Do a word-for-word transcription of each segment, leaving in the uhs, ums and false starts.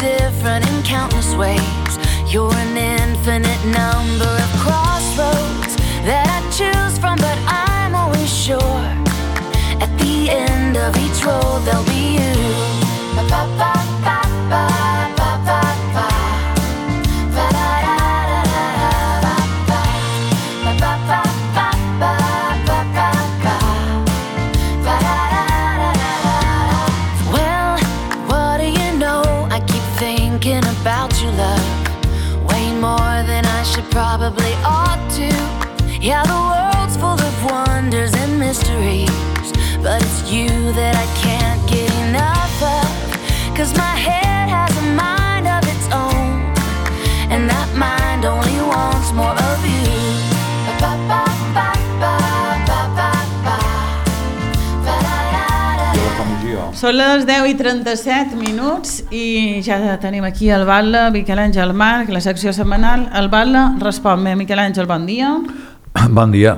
different in countless ways. You're an infinite number of crossroads that I choose from, but I'm always sure at the end of each road there'll be you. Ba ba ba ba ba ba ba ba. Ba da da da da ba ba. Ba ba ba ba ba ba ba ba. Ba da da da da da. Well, what do you know? I keep thinking about you, love, way more than I should probably ought to. Yeah, the world's full of wonders and mysteries, but it's you that I can't get enough of. Cause my head has a mind of its own, and that mind only wants more of you. Ba ba ba ba ba ba ba. Ba da da da. Són les deu i trenta-set minuts i ja tenim aquí el Batlle, Miquel Àngel Marc, la secció setmanal. El Batlle respon-me. Miquel Àngel, bon dia. Bon dia.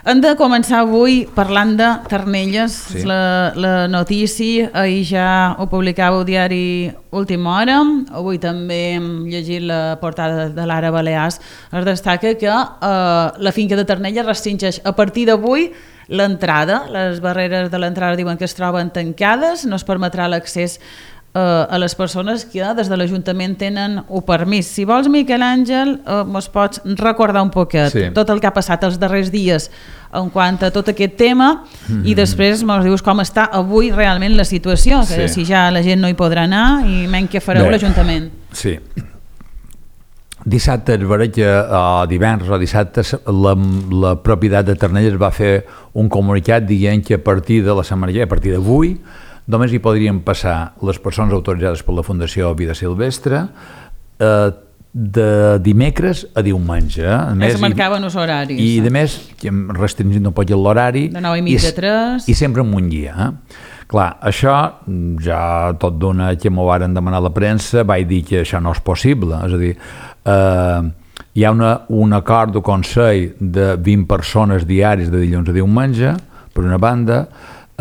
Hem de començar avui parlant de Ternelles, sí. la, la notícia, ahir ja ho publicava al diari Última Hora, avui també hem llegit la portada de l'Ara Balears, es destaca que eh, la finca de Ternelles restringeix a partir d'avui l'entrada, les barreres de l'entrada diuen que es troben tancades, no es permetrà l'accés a les persones que des de l'Ajuntament tenen un permís. Si vols, Miquel Àngel, eh, mos pots recordar un poquet sí. tot el que ha passat els darrers dies en quant a tot aquest tema mm-hmm. i després mos dius com està avui realment la situació, que sí. si ja la gent no hi podrà anar i menys què fareu Bé, l'Ajuntament. Sí. Dissabte, es veurà que uh, divendres o dissabte la, la propietat de Ternelles va fer un comunicat dient que a partir de la setmana, a partir d'avui, només hi podrien passar les persones autoritzades per la Fundació Vida Silvestre eh, de dimecres a diumenge. A més, es marcaven els horaris. I, i a més, restringint un poc l'horari. De nou i mitja a tres. I sempre amb un guia. Eh? Clar, això, ja tot d'una que m'ho varen demanar a la premsa, vaig dir que això no és possible. És a dir, eh, hi ha una, un acord de Consell de vint persones diaris de dilluns a diumenge, per una banda,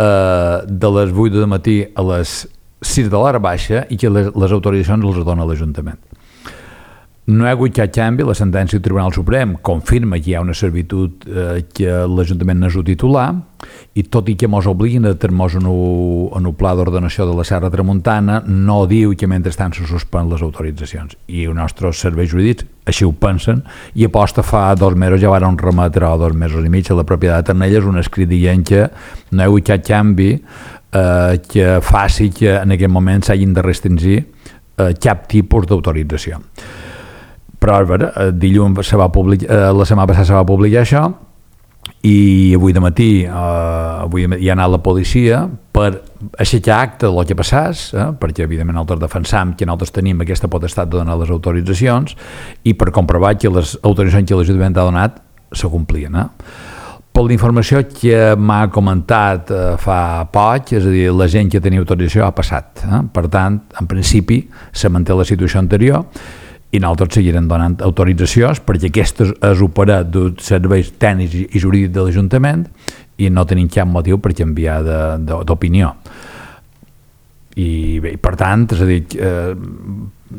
Uh, de les vuit del matí a les sis de l'hora baixa i que les, les autoritzacions les dona l'Ajuntament. No hi ha hagut cap canvi, la sentència del Tribunal Suprem confirma que hi ha una servitud uh, que l'Ajuntament n'és el titular i tot i que mos obliguin a tenir-nos en un pla d'ordenació de la Serra Tramuntana, no diu que mentrestant se suspenen les autoritzacions i els nostres serveis jurídics així ho pensen i aposta fa dos mesos ja van remetre o dos mesos i mig a la propietat de Ternelles un escrit dient que no hi ha hagut cap canvi eh, que faci que en aquest moment s'hagin de restringir eh, cap tipus d'autorització. Però veure, dilluns se va publicar, la setmana passada se va publicar això i avui de matí eh, avui hi ha anat la policia per aixecar acte del que passàs, eh, perquè evidentment nosaltres defensam que nosaltres tenim aquesta potestat de donar les autoritzacions i per comprovar que les autoritzacions que l'Ajuntament ha donat se complien. Eh? Per la informació que m'ha comentat eh, fa poc, és a dir, la gent que tenia autorització ha passat. Eh? Per tant, en principi, se manté la situació anterior i nosaltres seguirem donant autoritzacions perquè aquest és operat dels serveis tècnics i jurídics de l'Ajuntament i no tenim cap motiu per canviar d'opinió. I bé, per tant, és a dir... Eh,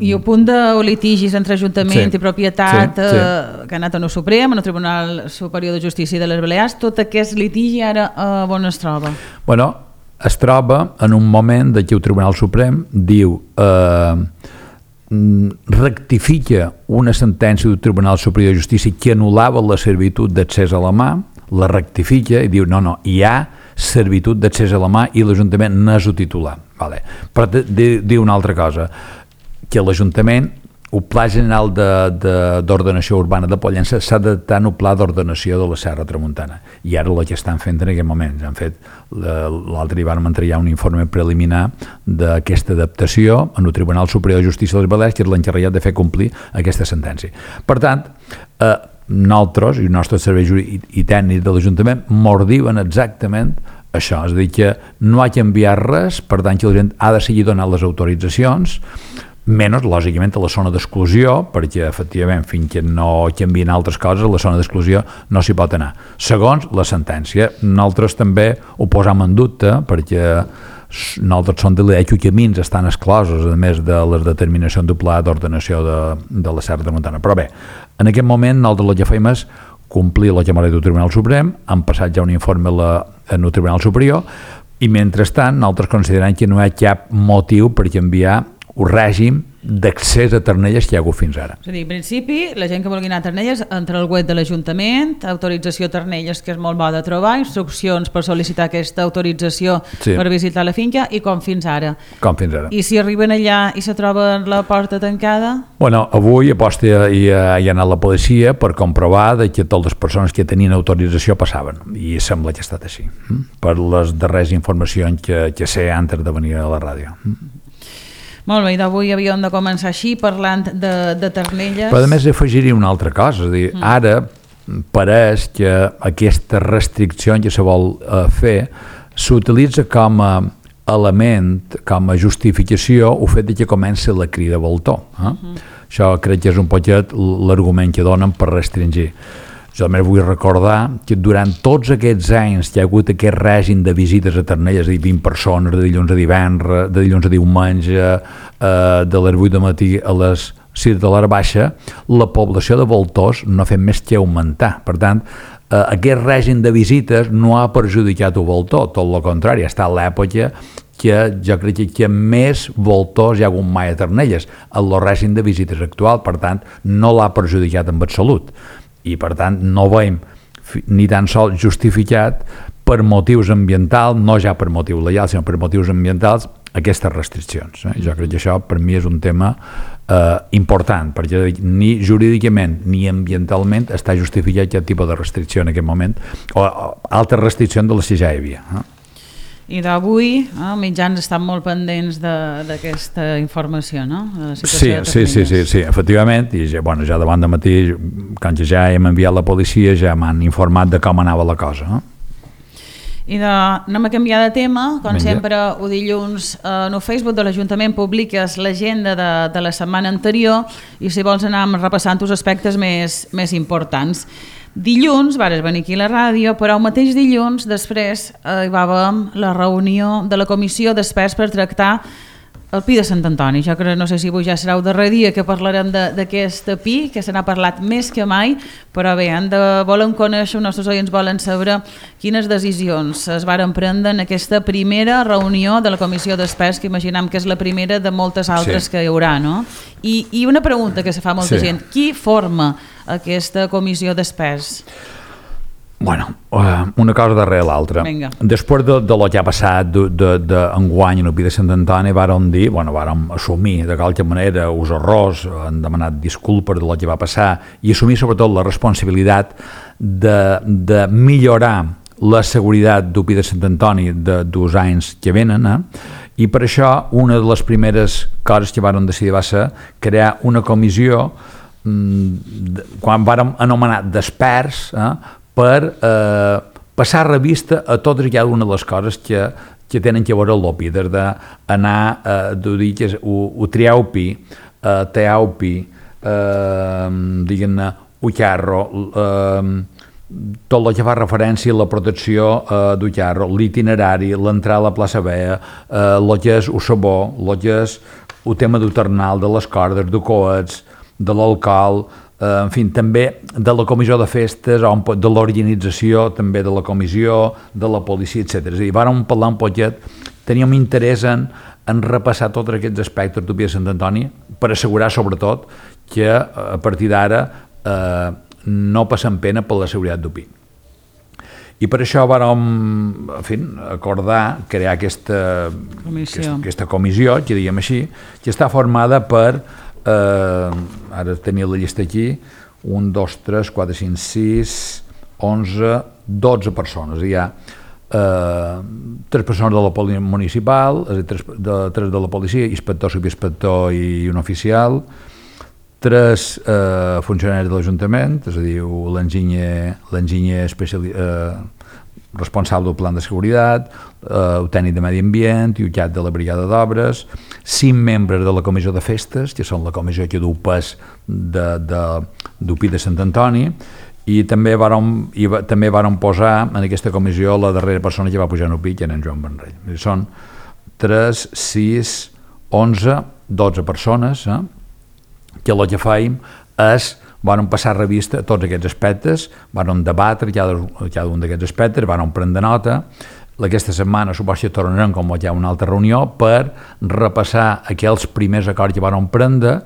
I el punt de litigis entre Ajuntament sí, i propietat sí, sí. Eh, que ha anat en el Suprem, en el Tribunal Superior de Justícia de les Balears, tot aquest litigi ara eh, on es troba? Bueno, es troba en un moment de que el Tribunal Suprem diu... Eh, rectifica una sentència del Tribunal Superior de Justícia que anul·lava la servitud d'accés a la mà, la rectifica i diu no, no, hi ha servitud d'accés a la mà i l'Ajuntament n'és el titular. Vale. Però diu una altra cosa, que l'Ajuntament, el Pla General d'Ordenació Urbana de Pollença s'ha d'adaptar en el Pla d'Ordenació de la Serra Tramuntana i ara el que estan fent en aquest moment. Han fet, l'altre dia vam entregar un informe preliminar d'aquesta adaptació en el Tribunal Superior de Justícia de les Balears que és l'encarregat de fer complir aquesta sentència. Per tant, eh, nosaltres i els nostres serveis i tècnics de l'Ajuntament mos diuen exactament això, és a dir, que no ha canviat res, per tant que la gent ha de seguir donant les autoritzacions, menys, lògicament, a la zona d'exclusió, perquè, efectivament, fins que no canvien altres coses, a la zona d'exclusió no s'hi pot anar. Segons la sentència, nosaltres també ho posam en dubte, perquè nosaltres som de l'idea que camins estan exclosos, a més de les determinacions del pla d'ordenació de, de la Serra de Montana. Però bé, en aquest moment nosaltres el que fem és complir la llamada del Tribunal Suprem, han passat ja un informe a la, en el Tribunal Superior, i mentrestant nosaltres considerem que no hi ha cap motiu per canviar un règim d'accés a Ternelles que hi ha hagut fins ara. És a dir, en principi, la gent que vulgui anar a Ternelles entra al web de l'Ajuntament, autorització Ternelles, que és molt bo de trobar, instruccions per sol·licitar aquesta autorització sí. per visitar la finca, i com fins ara. Com fins ara. I si arriben allà i se troben la porta tancada? Bueno, avui aposta hi ha, hi ha anat la policia per comprovar de que totes les persones que tenien autorització passaven, i sembla que ha estat així, per les darreres informacions que, que sé antes de venir a la ràdio. Molt bé, i d'avui havíem de començar així, parlant de, de Ternelles. Però a més afegiria una altra cosa, és a dir, mm. ara pareix que aquesta restricció que se vol uh, fer s'utilitza com a element, com a justificació el fet de que comença la crida voltor. Eh? Mm-hmm. Això crec que és un poquet l'argument que donen per restringir. Jo també vull recordar que durant tots aquests anys que hi ha hagut aquest règim de visites a Ternelles, és a dir, vint persones de dilluns a divendres, de dilluns a diumenge, eh, de les vuit del matí a les sis de l'hora baixa, la població de voltors no ha fet més que augmentar. Per tant, eh, aquest règim de visites no ha perjudicat el voltor, tot el contrari, ha estat l'època que jo crec que més voltors hi ha hagut mai a Ternelles, en el règim de visites actual, per tant, no l'ha perjudicat en absolut. I per tant no veiem ni tan sols justificat per motius ambientals, no ja per motius legals, sinó per motius ambientals, aquestes restriccions. Eh? Jo crec que això per mi és un tema eh, important, perquè ni jurídicament ni ambientalment està justificat aquest tipus de restricció en aquest moment, o, o altres restriccions de les que ja hi havia. Eh? I d'avui, eh, mitjans estan molt pendents d'aquesta informació, no? Sí, sí, sí, sí, sí, efectivament, i ja, bueno, ja davant de matí, quan ja hem enviat la policia, ja m'han informat de com anava la cosa. No? I de, anem a canviar de tema, com Menja. sempre, el dilluns eh, en el Facebook de l'Ajuntament publiques l'agenda de, de la setmana anterior, i si vols anar repassant els aspectes més, més importants. Dilluns vares venir aquí a la ràdio, però el mateix dilluns després eh, hi va haver la reunió de la comissió d'experts per tractar el Pi de Sant Antoni. Jo crec, no sé si avui ja serà el darrer dia que parlarem d'aquest Pi, que se n'ha parlat més que mai, però bé, han de, volen conèixer, els nostres oients volen saber quines decisions es varen prendre en aquesta primera reunió de la comissió d'experts, que imaginem que és la primera de moltes altres sí. que hi haurà, no? I, i una pregunta que se fa molta sí. gent, qui forma aquesta comissió d'experts? Bueno, una cosa darrere l'altra. Després de, de lo que ha passat d'enguany en el Pi de Sant Antoni, vàrem dir, bueno, vàrem assumir de qualque manera els errors, han demanat disculpes de lo que va passar i assumir sobretot la responsabilitat de, de millorar la seguretat del Pi de Sant Antoni de dos anys que venen, eh? I per això una de les primeres coses que vàrem decidir va ser crear una comissió mmm, quan vàrem anomenar d'experts, eh? per eh, passar revista a totes i cada una de les coses que, que tenen que veure el Pi, des d'anar a eh, dir que ho, ho trieu Pi, eh, teau Pi, eh, diguem-ne, Ucarro, eh, tot el que fa referència a la protecció eh, d'Ucarro, l'itinerari, l'entrada a la plaça Vea, eh, el que és el sabó, el que és el tema del ternal, de les cordes, de coets, de l'alcohol, en fi, també de la comissió de festes, de l'organització també de la comissió, de la policia, etcètera. És a dir, vàrem parlar un poquet, teníem interès en, en repassar tots aquests aspectes del Pi de Sant Antoni per assegurar, sobretot, que a partir d'ara eh, no passem pena per la seguretat del Pi. I per això vàrem, en fi, acordar crear aquesta comissió, aquesta, aquesta comissió, que diguem així, que està formada per Uh, ara tenia la llista aquí, un, dos, tres, quatre, cinc, sis, onze, dotze persones. Hi ha uh, tres persones de la policia municipal, és a dir, tres de, tres de la policia, inspector, subinspector i un oficial, tres uh, funcionaris de l'Ajuntament, és a dir, l'enginyer l'enginyer uh, responsable del plan de seguretat, eh, el tècnic de medi ambient i el cap de la brigada d'obres, cinc membres de la comissió de festes, que són la comissió que du pes de, de, del Pi de Sant Antoni, i també vàrem, i va, també vàrem posar en aquesta comissió la darrera persona que va pujar en el Pi, que era en Joan Benrell. Són tres, sis, onze, dotze persones, eh? que el que fèiem és van passar revista a tots aquests aspectes, van debatre cada, cada un d'aquests aspectes, van prendre nota. Aquesta setmana suposo que tornarem com hi ha una altra reunió per repassar aquells primers acords que van prendre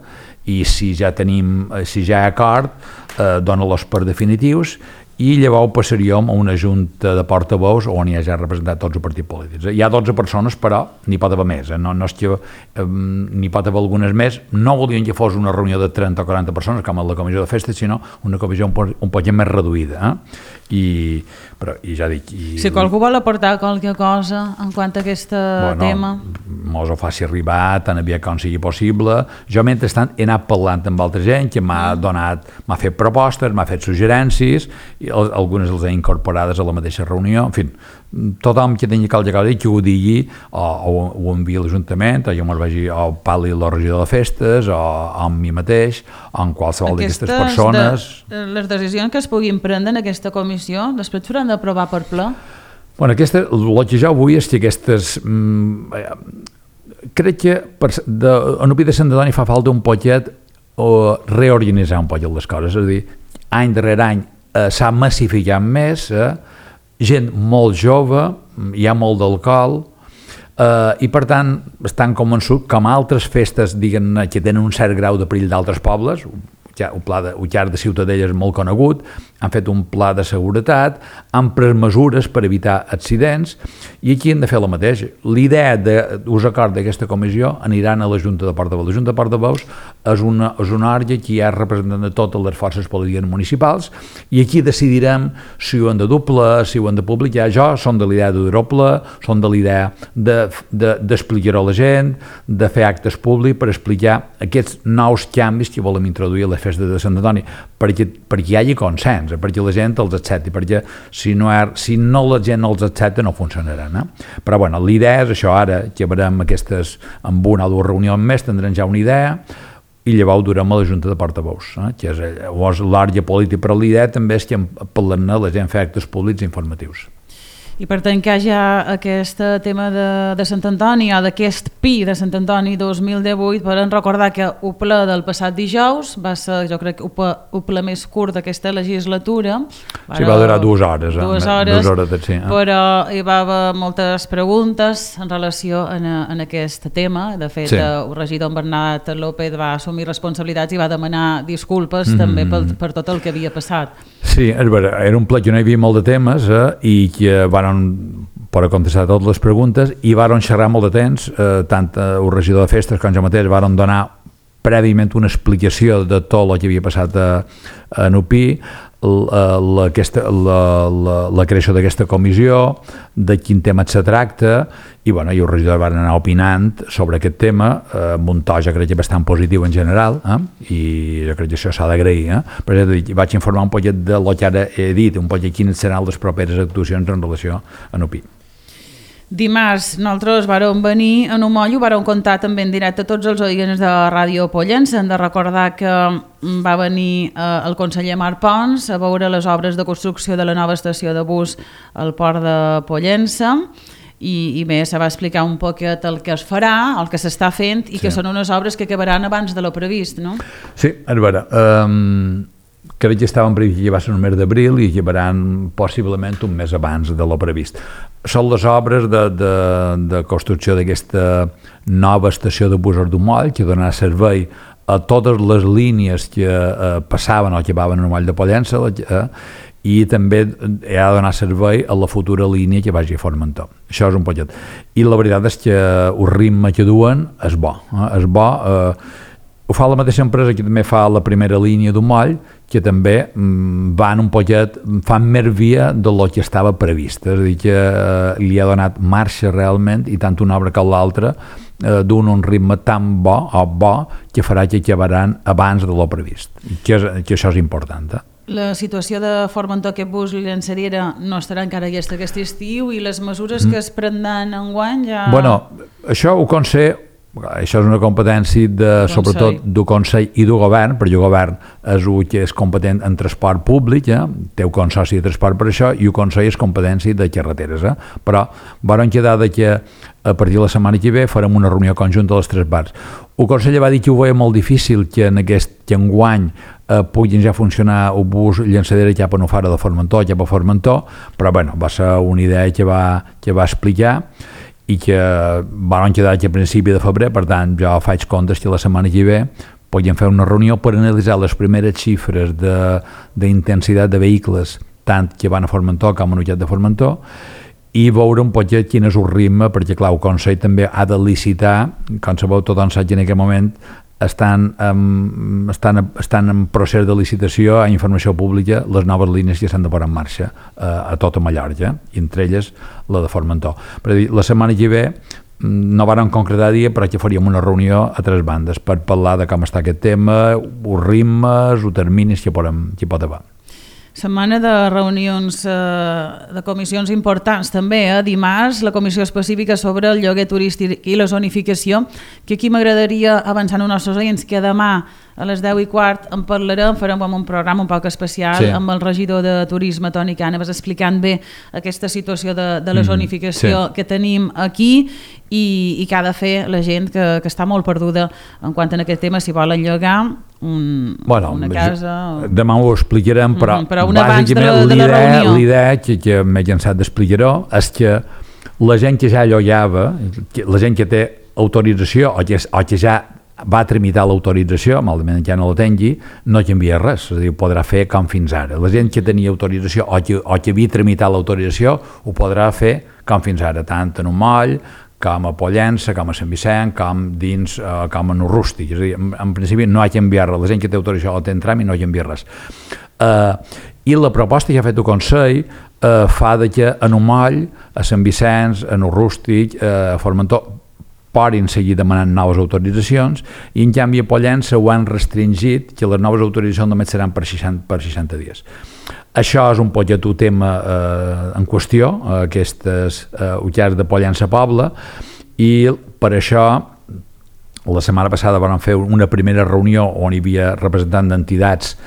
i si ja tenim, si ja hi ha acord, eh, dona-los per definitius i llavors passaríem a una junta de portaveus on hi ha ja representat tots els partits polítics. Hi ha dotze persones, però n'hi pot haver més, eh? no, no és que eh, n'hi pot haver algunes més. No volien que fos una reunió de trenta o quaranta persones, com a la comissió de festes, sinó una comissió un, un poc més reduïda. Eh? I, però, i ja dic... I... Si qualcú vol aportar qualque cosa en quant a aquest bueno, tema... Mos ho faci arribar tan aviat com sigui possible. Jo, mentrestant, he anat parlant amb altra gent que m'ha donat, m'ha fet propostes, m'ha fet suggerències, i algunes les he incorporades a la mateixa reunió. En fi, tothom que tingui qualque cosa que ho digui o, o ho enviï a l'Ajuntament, o jo me'l vagi o parli el regidor de festes o amb mi mateix o amb qualsevol d'aquestes persones. De, les decisions que es puguin prendre en aquesta comissió després s'hauran d'aprovar per ple? Bueno, aquesta, el que jo vull és que aquestes... Mm, crec que per, de, en Upi de Sant Antoni fa falta un poquet o reorganitzar un poquet les coses, és a dir, any darrere any eh, s'ha massificat més, eh, gent molt jove, hi ha molt d'alcohol, eh, i per tant estan convençuts com altres festes, diguem-ne, que tenen un cert grau de perill d'altres pobles, el pla de Ullar de Ciutadella és molt conegut, han fet un pla de seguretat, han pres mesures per evitar accidents i aquí hem de fer la mateixa. L'idea d'ús acord d'aquesta comissió aniran a la Junta de Portaveus. La Junta de Portaveus és una, és una òrgan que hi ha representant de totes les forces polítiques municipals i aquí decidirem si ho hem de doble, si ho hem de publicar. Jo som de l'idea de doble, som de l'idea d'explicar-ho a la gent, de fer actes públics per explicar aquests nous canvis que volem introduir a les festes de Sant Antoni, perquè, perquè hi hagi consens, perquè la gent els accepti, perquè si no, ha, si no la gent no els accepta no funcionaran. Eh? Però bueno, l'idea és això, ara que veurem aquestes, amb una o dues reunions més, tindrem ja una idea i llavors durem a la Junta de Portaveus, eh? que és l'àrea política, però l'idea també és que parlant la gent fer actes públics informatius. I per tancar ja aquest tema de, de Sant Antoni o d'aquest Pi de Sant Antoni dos mil divuit, volem recordar que el ple del passat dijous va ser, jo crec, el ple més curt d'aquesta legislatura. Sí, va durar dues hores. Dues hores, dues hores sí, eh? Però hi va haver moltes preguntes en relació en, en aquest tema. De fet, sí. El regidor Bernat López va assumir responsabilitats i va demanar disculpes mm-hmm. també per, per tot el que havia passat. Sí, era un ple que no hi havia molt de temes eh, i que van per contestar totes les preguntes i varen xerrar molt de temps, eh, tant el regidor de festes com jo mateix varen donar prèviament una explicació de tot el que havia passat a, a Nupi, la, la, aquesta, la, la, la creació d'aquesta comissió, de quin tema se tracta, i, bueno, i el regidor va anar opinant sobre aquest tema, eh, amb un to jo crec que bastant positiu en general, eh? I jo crec que això s'ha d'agrair. Eh? Per exemple, vaig informar un poquet de lo que ara he dit, un poquet quines seran les properes actuacions en relació a Nupi. Dimarts nosaltres vàrem venir en un moll, ho vàrem contar també en directe a tots els oients de Ràdio Pollença. Hem de recordar que va venir eh, el conseller Marc Pons a veure les obres de construcció de la nova estació de bus al port de Pollença i, i bé, se va explicar un poquet el que es farà, el que s'està fent i sí. que són unes obres que acabaran abans de lo previst, no? Sí, a veure... Um... crec que estaven previst que va ser el mes d'abril i llevaran possiblement un mes abans de lo previst. Són les obres de, de, de construcció d'aquesta nova estació de bus d'Umoll que donarà servei a totes les línies que eh, passaven o que van al Moll de Pollença eh, i també ha de donar servei a la futura línia que vagi a Formentor. Això és un poquet. I la veritat és que el ritme que duen és bo. Eh? És bo. Eh, ho fa la mateixa empresa que també fa la primera línia d'un moll, que també mm, van un poquet, fan més via de lo que estava previst. És a dir, que eh, li ha donat marxa realment, i tant una obra com l'altra, eh, d'un un ritme tan bo, o bo, que farà que acabaran abans de lo previst. Que, és, que això és important. Eh? La situació de Formentor, aquest bus llançadera, no estarà encara aquesta aquest estiu, i les mesures mm. que es prendran enguany ja... Bueno, això ho conse això és una competència de, sobretot del Consell i del Govern, perquè el Govern és el que és competent en transport públic, eh? Té un consorci de transport per això, i el Consell és competència de carreteres. Eh? Però vam quedar de que a partir de la setmana que ve farem una reunió conjunta de les tres parts. El Consell va dir que ho veia molt difícil que en aquest que enguany eh, puguin ja funcionar el bus llançadera cap a Nofara de Formentor, cap a Formentor, però bueno, va ser una idea que va, que va explicar i que van quedar que a principi de febrer, per tant jo faig comptes que la setmana que ve podem fer una reunió per analitzar les primeres xifres d'intensitat de, de vehicles tant que van a Formentor com a Nullet de Formentor i veure un poc quin és el ritme, perquè clar, el Consell també ha de licitar, com sabeu tothom sap que en aquest moment estan en, estan, estan en procés de licitació a informació pública les noves línies que s'han de posar en marxa eh, a tota Mallorca, i entre elles la de Formentor. Per dir, la setmana que ve no vàrem concretar dia, però que faríem una reunió a tres bandes per parlar de com està aquest tema, els ritmes, els terminis que, podem, que pot haver. Setmana de reunions eh, de comissions importants també, eh? Dimarts la comissió específica sobre el lloguer turístic i la zonificació, que aquí m'agradaria avançar en els nostres oients que demà a les deu i quart en parlarem, farem un programa un poc especial sí. amb el regidor de Turisme, Toni Cànovas, explicant bé aquesta situació de, de la zonificació mm, sí. que tenim aquí i, i que ha de fer la gent que, que està molt perduda en quant a aquest tema, si volen llogar un, bueno, una casa... O... Demà ho explicarem, però, mm, però bàsicament l'idea que, que m'he llançat d'explicar-ho és que la gent que ja llogava, la gent que té autorització o que, o que ja va tramitar l'autorització, malament ja no la tingui, no canvia res, és a dir, ho podrà fer com fins ara. La gent que tenia autorització o que, o que havia tramitat l'autorització ho podrà fer com fins ara, tant en un moll, com a Pollença, com a Sant Vicent, com dins, eh, com en un rústic. És a dir, en, en principi no ha canviat res, la gent que té autorització o té en tràmit no ha canviat res. Eh, I la proposta que ha fet el Consell eh, fa de que en un moll, a Sant Vicenç, en un rústic, eh, a Formentor, poden seguir demanant noves autoritzacions, i en canvi a Pollença ho han restringit, que les noves autoritzacions només seran per seixanta, per seixanta dies. Això és un poc el tema eh, en qüestió, aquestes eh, ullars de Pollença Poble, i per això la setmana passada vam fer una primera reunió on hi havia representants d'entitats,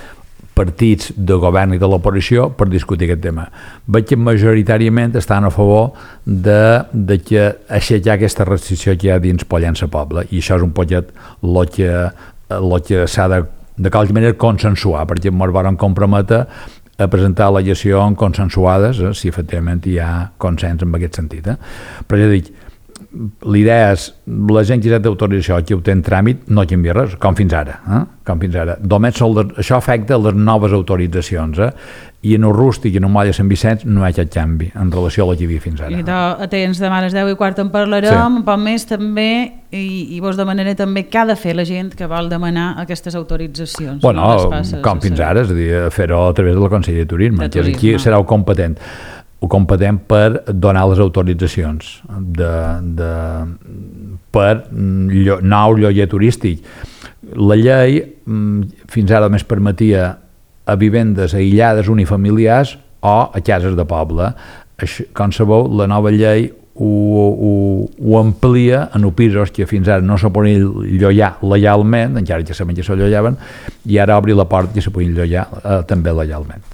partits de govern i de l'oposició per discutir aquest tema. Veig que majoritàriament estan a favor de, de que aixecar aquesta restricció que hi ha dins Pollença Poble, i això és un poquet el que, el que s'ha de, de qualque manera consensuar, perquè ens vam comprometre a presentar al·legacions consensuades, eh, si efectivament hi ha consens en aquest sentit. Eh? Però ja dic, l'idea és, la gent que ja té autorització, que ho té en tràmit, no canvia res, com fins ara. Eh? Com fins ara. Només les, això afecta les noves autoritzacions, eh? I en el rústic i en el moll de Sant Vicenç no hi ha cap canvi en relació a la que hi havia fins ara. I de, atents, demà a les deu i quart en parlarem, sí. Un poc més també, i, i vos demanaré també què ha de fer la gent que vol demanar aquestes autoritzacions. Bueno, no passes, com fins ara, és a dir, fer-ho a través del Consell de Turisme, de que turisme. Aquí serà el competent. ho competent per donar les autoritzacions de, de, per llo, nou lloguer turístic. La llei fins ara només permetia a vivendes aïllades unifamiliars o a cases de poble. Això, com sabeu, la nova llei ho, ho, ho amplia en pisos que fins ara no se podien llogar legalment, encara que sabem que se llogaven, i ara obri la porta que se podien llogar eh, també legalment.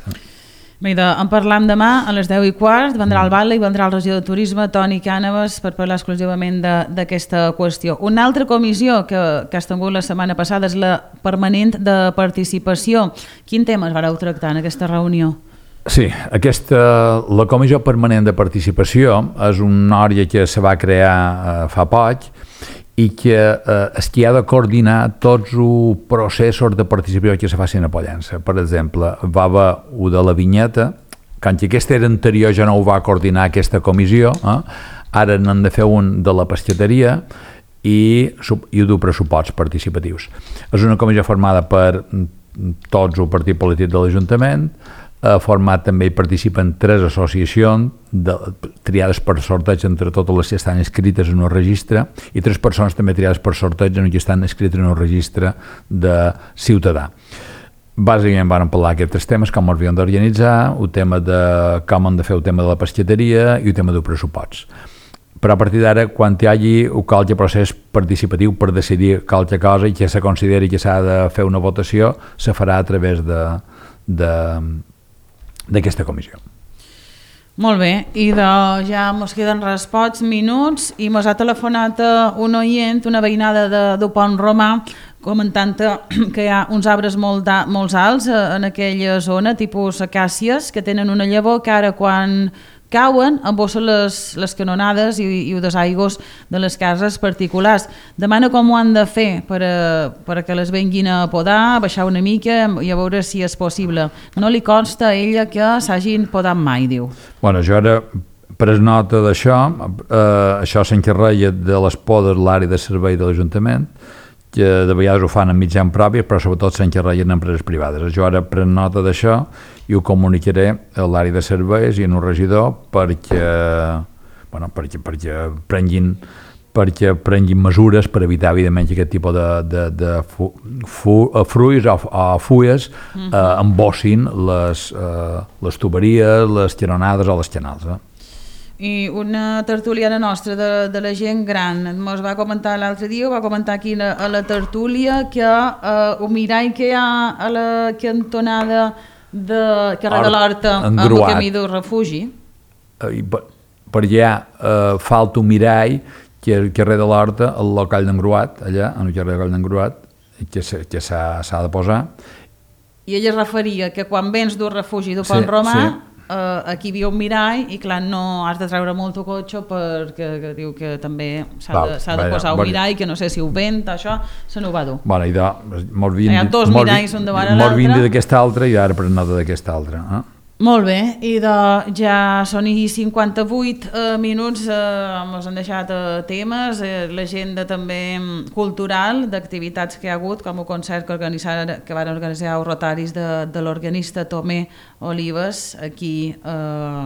Bé, en parlam demà a les deu i quart, vendrà el Batlle i vendrà el regidor de Turisme, Toni Cànovas, per parlar exclusivament d'aquesta qüestió. Una altra comissió que, que has tingut la setmana passada és la permanent de participació. Quin tema es vareu tractar en aquesta reunió? Sí, aquesta, la Comissió Permanent de Participació és una àrea que se va crear eh, fa poc i que eh, és qui ha de coordinar tots els processos de participació que se facin a Pollença. Per exemple, va haver un de la vinyeta, quan aquesta era anterior ja no ho va coordinar aquesta comissió, eh? Ara n'han de fer un de la pescateria i, i un de pressuposts participatius. És una comissió formada per tots el partit polític de l'Ajuntament, ha format també hi participen tres associacions de, triades per sorteig entre totes les que estan inscrites en un registre i tres persones també triades per sorteig en què estan inscrites en un registre de ciutadà. Bàsicament van parlar d'aquests temes, com els havien d'organitzar, el tema de com han de fer el tema de la pescateria i el tema dels pressuposts. però a partir d'ara, quan hi hagi qualque procés participatiu per decidir qualque cosa i que se consideri que s'ha de fer una votació, se farà a través d'aquesta comissió. Molt bé, i de, ja ens queden res pocs minuts i ens ha telefonat un oient, una veïnada de, de Pont Romà, comentant que hi ha uns arbres molt, molt alts en aquella zona, tipus acàcies, que tenen una llavor que ara quan cauen embossen les, les canonades i, i els aigües de les cases particulars. Demana com ho han de fer per a, per a que les venguin a podar, a baixar una mica i a veure si és possible. No li consta a ella que s'hagin podat mai, diu. Bueno, jo ara pres nota d'això, eh, això s'encarrega de les podes l'àrea de servei de l'Ajuntament, que de vegades ho fan en mitjans propis, però sobretot s'encarreguen en empreses privades. Jo ara pres nota d'això i ho comunicaré a l'àrea de serveis i en un regidor perquè, bueno, perquè, perquè, prenguin, perquè prenguin mesures per evitar, evidentment, que aquest tipus de, de, de fu, fu, fruits o, o fulles uh-huh. eh, embossin les, eh, les tuberies, les canonades o les canals. Eh? I una tertuliana nostra de, de la gent gran ens va comentar l'altre dia, va comentar aquí a, a la tertúlia que eh, un mirall que hi ha a la cantonada de carrer de l'Horta amb el camí del refugi eh, per, per allà eh, falta un mirall que el carrer de l'Horta, el local d'Engruat, allà en el carrer de l'Engruat, que s'ha de posar, i ella es referia que quan vens d'un refugi de Pont sí, Romà sí. Uh, aquí hi havia un mirall i clar, no has de treure molt el cotxe perquè que diu que també s'ha de, de posar un mirall, que no sé si ho vent, això se n'ho va dur. Bueno, i de, hi ha dos miralls un davant l'altre. Mos vindi d'aquesta altra i ara pren nota d'aquesta altra. Eh? Molt bé, i de, ja són i cinquanta-vuit eh, minuts, eh, ens han deixat eh, temes, eh, l'agenda també cultural, d'activitats que hi ha hagut, com el concert que, que van organitzar els rotaris de, de l'organista Tomé Olives, aquí eh,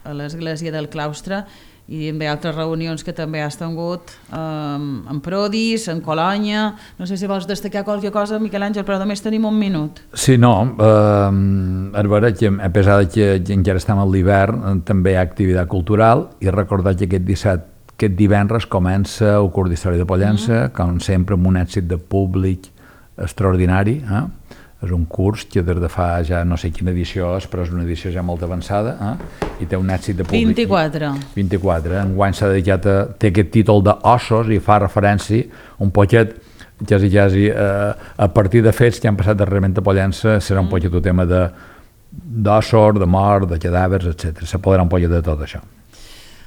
a l'església del claustre, i també altres reunions que també has tingut eh, en Prodis, en Colònia. No sé si vols destacar qualque cosa, Miquel Àngel, però només tenim un minut. Sí, no, eh, a veure, que a pesar de que encara estem a l'hivern, també hi ha activitat cultural, i recordar que aquest disset, aquest divendres comença el curs d'Història de Pollença, mm-hmm. com sempre amb un èxit de públic extraordinari, eh? És un curs que des de fa ja no sé quina edició és, però és una edició ja molt avançada, eh? I té un èxit de públic. vint-i-quatre. vint-i-quatre. Enguany s'ha dedicat a... té aquest títol d'ossos i fa referència un poquet, quasi, quasi, eh, a partir de fets que han passat darrerament a Pollença, serà un poquet un tema de d'ossos, de mort, de cadàvers, etcètera. S'apoderà un poquet de tot això.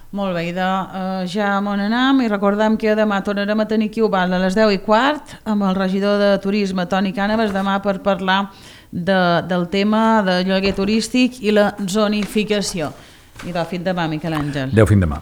Molt bé, de, uh, ja m'on anem i recordem que demà tornarem a tenir aquí a les deu i quart amb el regidor de Turisme, Toni Cànovas, demà per parlar de, del tema de lloguer turístic i la zonificació. I de, fins demà, Miquel Àngel. Adéu, fins demà.